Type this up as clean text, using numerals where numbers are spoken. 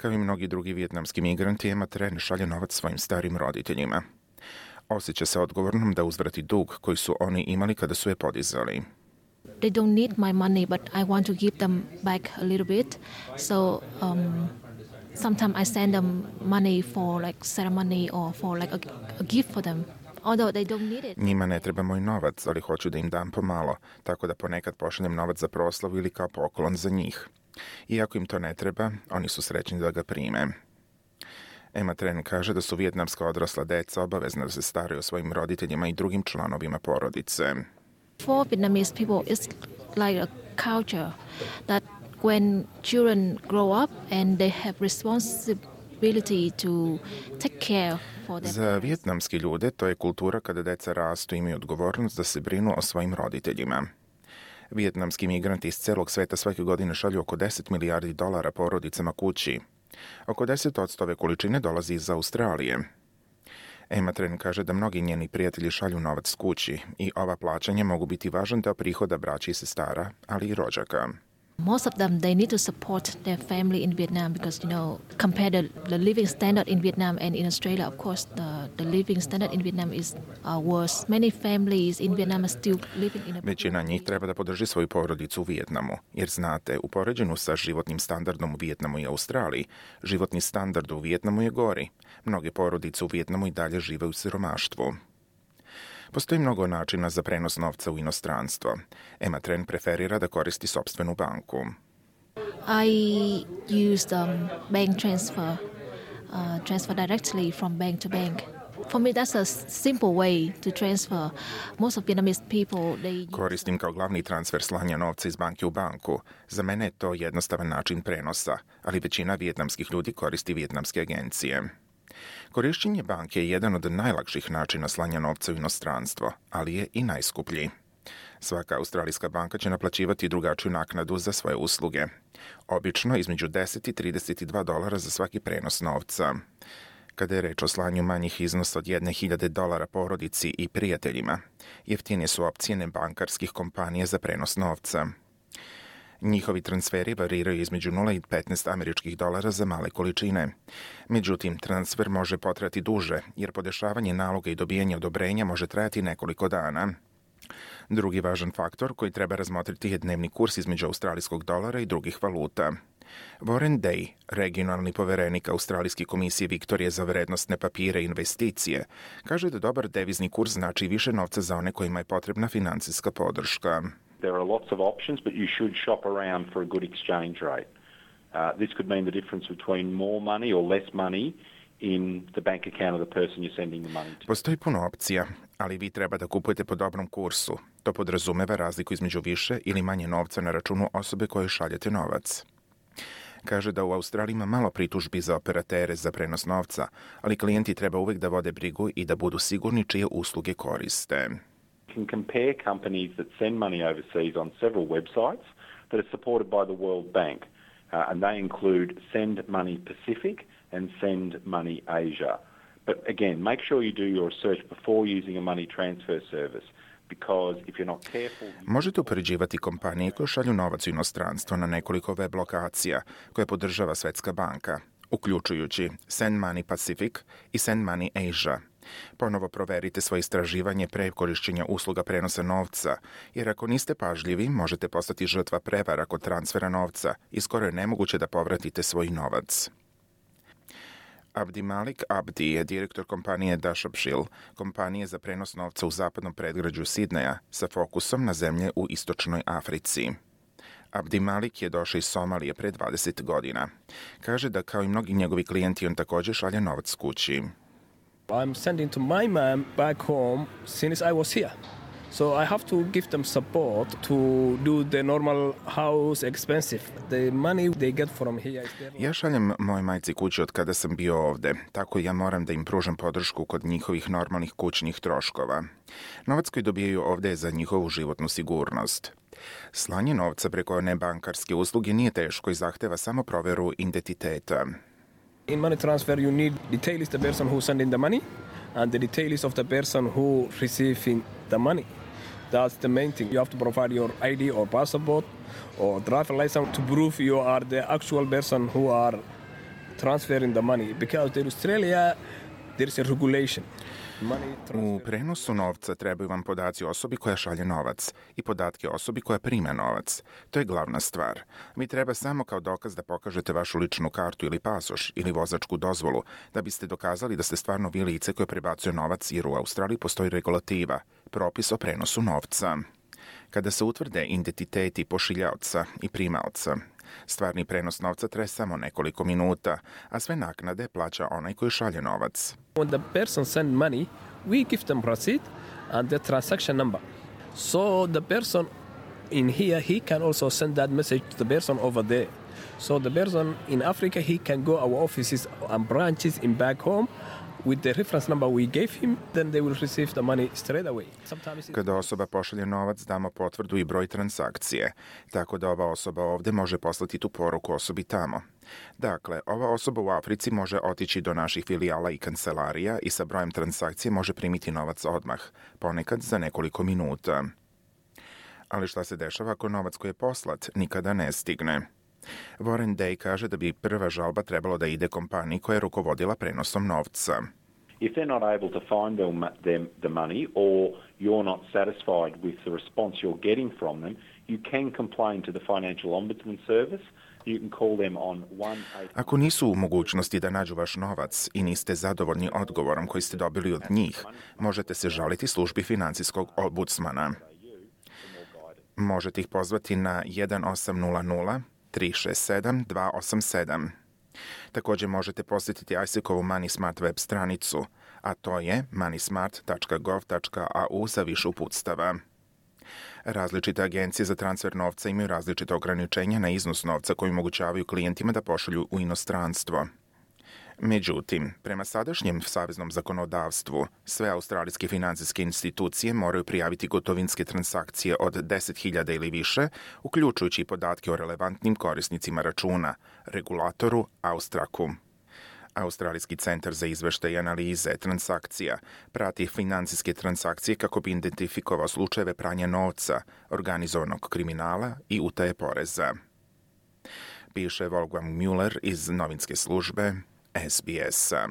Kao i mnogi drugi vijetnamski migranti, Emma Tran šalje novac svojim starim roditeljima. Osjeća se odgovornom da uzvrati dug koji su oni imali kada su je podizali. They don't need my money, but I want to give them back a little bit. So sometimes I send them money for like ceremony or for like a gift for them. Although they don't need it. Njima ne treba moj novac, ali hoću da im dam pomalo, tako da ponekad pošaljem novac za proslavu ili kao poklon za njih. Iako im to ne treba, oni su srećni da ga prime. Emma Tran kaže da su vijetnamska odrasla deca obavezna da se staraju o svojim roditeljima i drugim članovima porodice. For Vietnamese people, it's like a culture that when children grow up and they have responsibility to take care for them. Za vijetnamski ljude to je kultura kada deca rastu i imaju odgovornost da se brinu o svojim roditeljima. Vijetnamski migranti iz celog sveta svake godine šalju oko 10 milijardi dolara porodicama kući. Oko 10% ove količine dolazi iz Australije. Emma Tran kaže da mnogi njeni prijatelji šalju novac kući i ova plaćanja mogu biti važan deo prihoda braće i sestara, ali i rođaka. Most of them, they need to support their family in Vietnam because, compare the living standard in Vietnam and in Australia, of course, the living standard in Vietnam is worse. Many families in Vietnam are still living in a... Većina njih treba da podrži svoju porodicu u Vijetnamu, jer znate, u poređenju sa životnim standardom u Vijetnamu i Australiji, životni standard u Vijetnamu je gori. Mnoge porodice u Vijetnamu i dalje žive u siromaštvu. Postoji mnogo načina za prenos novca u inostranstvo. Emma Tran preferira da koristi sopstvenu banku. I used bank transfer directly from bank to bank. For me, that's a simple way to transfer. Most of Vietnamese people, Koristim kao glavni transfer slanja novca iz banke u banku. Za mene je to jednostavan način prenosa, ali većina vijetnamskih ljudi koristi vijetnamske agencije. Korišćenje banke je jedan od najlakših načina slanja novca u inostranstvo, ali je i najskuplji. Svaka australijska banka će naplaćivati drugačiju naknadu za svoje usluge. Obično između 10 i 32 dolara za svaki prenos novca. Kada je reč o slanju manjih iznosa od 1.000 dolara porodici i prijateljima, jeftinije su opcije nebankarskih kompanija za prenos novca. Njihovi transferi variraju između 0 i 15 američkih dolara za male količine. Međutim, transfer može potrajati duže, jer podešavanje naloga i dobijanje odobrenja može trajati nekoliko dana. Drugi važan faktor koji treba razmotriti je dnevni kurs između australijskog dolara i drugih valuta. Warren Day, regionalni poverenik Australijske komisije Viktorije za vrednostne papire i investicije, kaže da dobar devizni kurs znači više novca za one kojima je potrebna finansijska podrška. There are lots of options, but you should shop around for a good exchange rate. This could mean the difference between more money or less money in the bank account of the person you're sending the money to. Postoji puno opcija, ali vi treba da kupujete po dobrom kursu. To podrazumeva razliku između više ili manje novca na računu osobe kojoj šaljete novac. Kaže da u Australiji ima malo pritužbi za operatere za prenos novca, ali klijenti treba uvek da vode brigu i da budu sigurni čije usluge koriste. Can compare companies that send money overseas on several websites that are supported by the World Bank, and they include Send Money Pacific and Send Money Asia. But again, make sure you do your research before using a money transfer service, because if you're not careful... Možete upoređivati kompanije koje šalju novac u inostranstvo na nekoliko web lokacija koje podržava Svetska banka, uključujući Send Money Pacific i Send Money Asia. Ponovo proverite svoje istraživanje pre korišćenja usluga prenosa novca, jer ako niste pažljivi, možete postati žrtva prevara kod transfera novca i skoro je nemoguće da povratite svoj novac. Abdimalik Abdi je direktor kompanije Dashabshil, kompanije za prenos novca u zapadnom predgrađu Sidneja sa fokusom na zemlje u istočnoj Africi. Abdimalik je došao iz Somalije pre 20 godina. Kaže da kao i mnogi njegovi klijenti on također šalje novac kući. I'm sending to my mom back home since I was here. So I have to give them support to do the normal house expensive. The money they get from here is there. Ja šaljem moj majci kući od kada sam bio ovde, tako ja moram da im pružam podršku kod njihovih normalnih kućnih troškova. Novac koji dobijaju ovde je za njihovu životnu sigurnost. Slanje novca preko nebankarske usluge nije teško i zahteva samo proveru identiteta. In money transfer you need details the person who sending the money and the details of the person who receiving the money. That's the main thing. You have to provide your ID or passport or driver license to prove you are the actual person who are transferring the money because in Australia there is a regulation. U prenosu novca trebaju vam podaci o osobi koja šalje novac i podatke o osobi koja prima novac. To je glavna stvar. Vi treba samo kao dokaz da pokažete vašu ličnu kartu ili pasoš ili vozačku dozvolu da biste dokazali da ste stvarno vi lice koje prebacuje novac, jer u Australiji postoji regulativa, propis o prenosu novca. Kada se utvrde identiteti pošiljaoca i primaoca, stvarni prenos novca traje samo nekoliko minuta, a sve naknade plaća onaj koji šalje novac. When the person send money, we give them receipt and the transaction number. So the person in here, he can also send that message to the person over there. So the person in Africa, he can go our offices and branches in back home with the reference number we gave him, then they will receive the money straight away. Kada osoba pošalje novac, damo potvrdu i broj transakcije, tako da ova osoba ovde može poslati tu poruku osobi tamo. Dakle, ova osoba u Africi može otići do naših filijala i kancelarija i sa brojem transakcije može primiti novac odmah, ponekad za nekoliko minuta. Ali šta se dešava ako novac koji je poslat nikada ne stigne? Warren Day kaže da bi prva žalba trebalo da ide kompaniji koja je rukovodila prenosom novca. If they're not able to find the money or you're not satisfied with the response you're getting from them, you can complain to the Financial Ombudsman Service. You can call them on 1-800. Ako nisu u mogućnosti da nađu vaš novac i niste zadovoljni odgovorom koji ste dobili od njih, možete se žaliti službi financijskog ombudsmana. Možete ih pozvati na 1800 367 287. Također možete posjetiti ISIC-ovu MoneySmart web stranicu, a to je moneysmart.gov.au za više uputstava. Različite agencije za transfer novca imaju različite ograničenja na iznos novca koji omogućavaju klijentima da pošalju u inostranstvo. Međutim, prema sadašnjem saveznom zakonodavstvu, sve australijske financijske institucije moraju prijaviti gotovinske transakcije od 10.000 ili više, uključujući i podatke o relevantnim korisnicima računa, regulatoru Austraku. Australijski centar za izveštaj i analize transakcija prati financijske transakcije kako bi identifikovao slučajeve pranja novca, organizovanog kriminala i utaje poreza. Piše Wolfgang Müller iz novinske službe SBS-a.